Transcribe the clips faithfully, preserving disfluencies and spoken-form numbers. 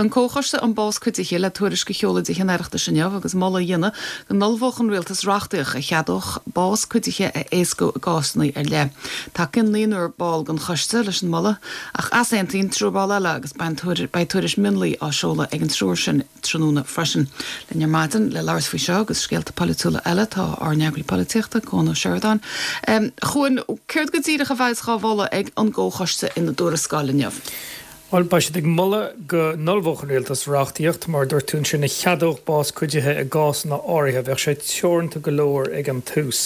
Tá an Comhchoiste um Bás Cuidithe le tuairisc a sheoladh i dTithe an Oireachtais inniu agus moladh a dhéanamh go n-ullmhódh an rialtas reachtaíocht a cheadódh bás cuidithe a éascú i gcásanna ar leith. Tacaíonn naonúr ball den choiste leis an moladh ach easaontaíonn triúr ball eile agus beidh tuairisc mionlaigh á seoladh ag an triúr sin tráthnóna freisin. Linn ar maidin le labhairt faoi seo agus scéalta polaitiúla eile tá ár n-eagraí polaitíochta Cuan Ó Seireadáin. Chuan céard go díreach a bheas á mholadh ag an gcomhchoiste ina dtuarascáil inniu. Well beidh siad ag moladh go n-ullmhódh an rialtas reachtaíocht mar dúirt tú sin a cheadódh bás cuidithe i gcásanna áirithe bheadh sé teoranta go leor ag an tús.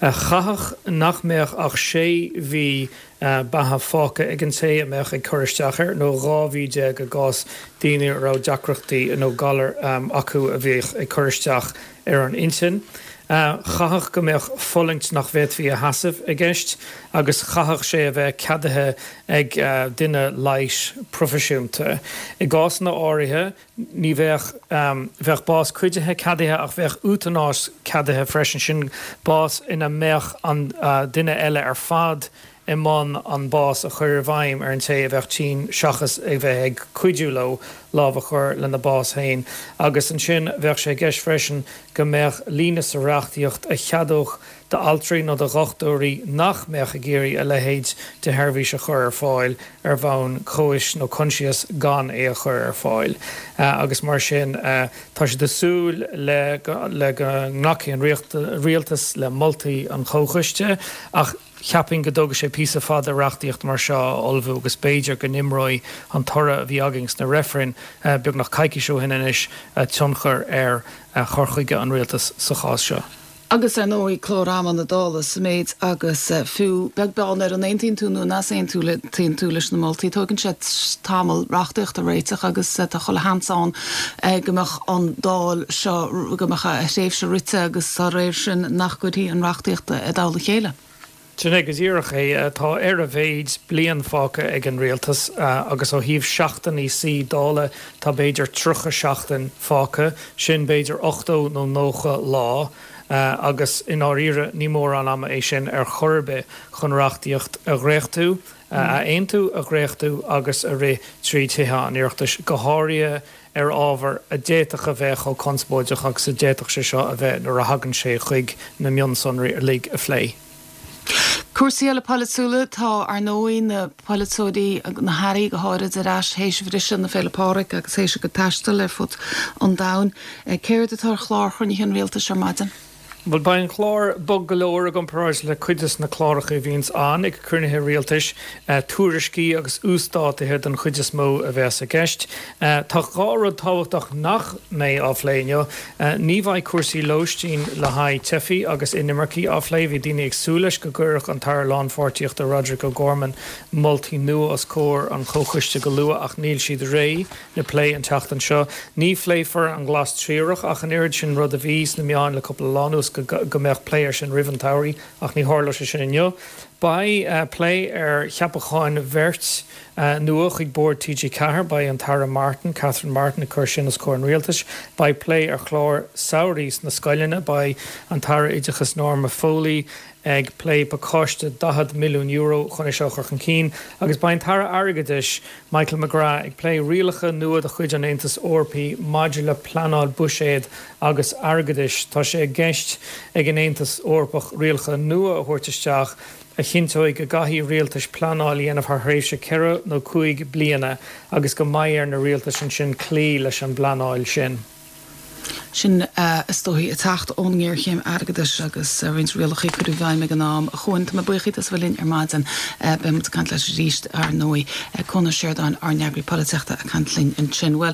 Chaithfeadh nach mbeadh ach sé mhí beatha fágtha ag an té a mbeadh ag cur isteach air nó dhá mhí déag i gcás daoine a raibh deacrachtaí nó galar acu a bhíodh ag cur isteach ar an intinn. Chaithfeadh go mbeadh fulaingt nach bhféadfaí a sheasamh i gceist agus chaithfeadh sé a bheith ceadaithe ag duine leighis proifisiúnta. I gcásanna áirithe ní bheadh bheadh bás cuidithe ceadaithe ach bheadh útanáis ceadaithe freisin sin bás ina mbeadh an duine eile ar fad i mbun an bás a chur i bhfeidhm ar an té a bheadh tinn seachas ag bheith ag cuidiú leo lámh a chur lena bás féin. Agus ansin bheadh sé i gceist freisin go mbeadh líne sa reachtaíocht a cheadódh d'altraí nó do dhochtúirí nach mbeadh ag iarraidh a leithéid de sheirbhís a chur ar fáil ar bhonn cois nó coinsias gan é a chur ar fáil. Agus mar sin tá siad ag súil le le go nglacfaidh an rialtas le moltaí an chomhchoiste ach cheapfainn go dtógfaidh sé píosa fada reachtaíocht mar seo a ullmhú agus b'fhéidir go n-imreoidh an toradh a bhí againn sna reifrinn beagnach coicís ó shin anois tionchar ar chur chuige an rialtas sa chás seo. Agus ar ndóigh clár ama na Dála sa méid agus fiú beag beann ar an aontaíonn tú nó nach aontaíonn tú leis na moltaí, tógann sé tamall reachtaíocht a réiteach agus tá chuile sheans ann go mbeadh an Dáil seo go mbeadh a thréimhse rite agus dá réir sin nach gcuirfí an reachtaíocht i dtoll a chéile. Sin é go díreach é tá ar a mhéid bliain fágtha ag an rialtas agus ó thaobh seachtainí suí Dála tá b'fhéidir tríocha seachtain fágtha, sin b'fhéidir ochtó nó nócha lá. agus i ndáiríre ní mórán ama é sin ar chor ar bith chun reachtaíocht a dhréachtú, a aontú, a dhréachtú agus a rith trí Thithe an Oireachtais, go háirithe ar ábhar a d'fhéadfadh a bheith chomh conspóideach agus a d'fhéadfadh sé seo a bheith nuair a thagann sé chuig na mionsonraí uilig a phlé. Cúrsaí eile polaitiúla tá ar ndóigh na polaiteoirí na hairí go háirid ar ais théis bhriseadh na Féile Pádraig agus théis go taisteal ar fud an domhain. Céard atá ar chlár chruinnithe an rialtais ar maidin? Well beidh an clár bog go leor i gcomparáid le cuid de na cláracha a bhíonns ann ag cruinnithe rialtais, tuairiscí agus uasdátuithe den chuid is mó a bheas i gceist. Tá dhá rud tábhachtach nach mbeidh á phlé inniu. Ní bheidh cúrsaí lóistín le haghaidh teifigh agus inimircigh á phlé. Bhí daoine ag súil leis go gcuirfeadh an tAire Lánpháirtíochta Roderic O'Gorman moltaí nua os comhair an chomhchoiste go luath ach níl siad réidh le plé an tseachtain seo. Ní phléifear an Glas Triarach ach an oiread sin rud a bhí sna meáin le cúpla lá anuas go go mbeadh plé air sin roimh an tsamhradh ach ní tharlóidh sé sin inniu. Beidh plé ar cheapacháin bheirt nua chuig Bord TG Ceathair, beidh an tAire Martin, Catherine Martin ag cur sin os comhair an rialtais. Beidh plé ar chlár samhraidh sna scoileanna, beidh an tAire Oideachais Norma Foley ag plé pacáiste daichead milliún euro chun é seo a chur chun cinn agus beidh an tAire Airgeadais Michael McGrath ag plé rialacha nua de chuid an Aontais Eorpaigh maidir le pleanáil buiséid agus airgeadais. Tá sé i gceist ag an Aontas Eorpach rialacha nua a thabhairt isteach a chinnteoidh go gcaithfidh rialtais pleanáil a dhéanamh thar thréimhse ceithre nó cúig bliana agus go mbeidh ar na rialtais ansin cloí leis an bpleanáil sin. Sin is dóigh ag teacht ón ngéarchéim airgeadais agus roinnt rialacha curtha i bhfeidhm ag an am. A Chuain, tá mé buíoch díot as a bheith linn ar maidin. Beidh muid ag caint leat arís, ar ndóigh. Cuan Ó Seireadáin, ár n-eagraí polaitíochta, ag caint linn ansin. Bhuel.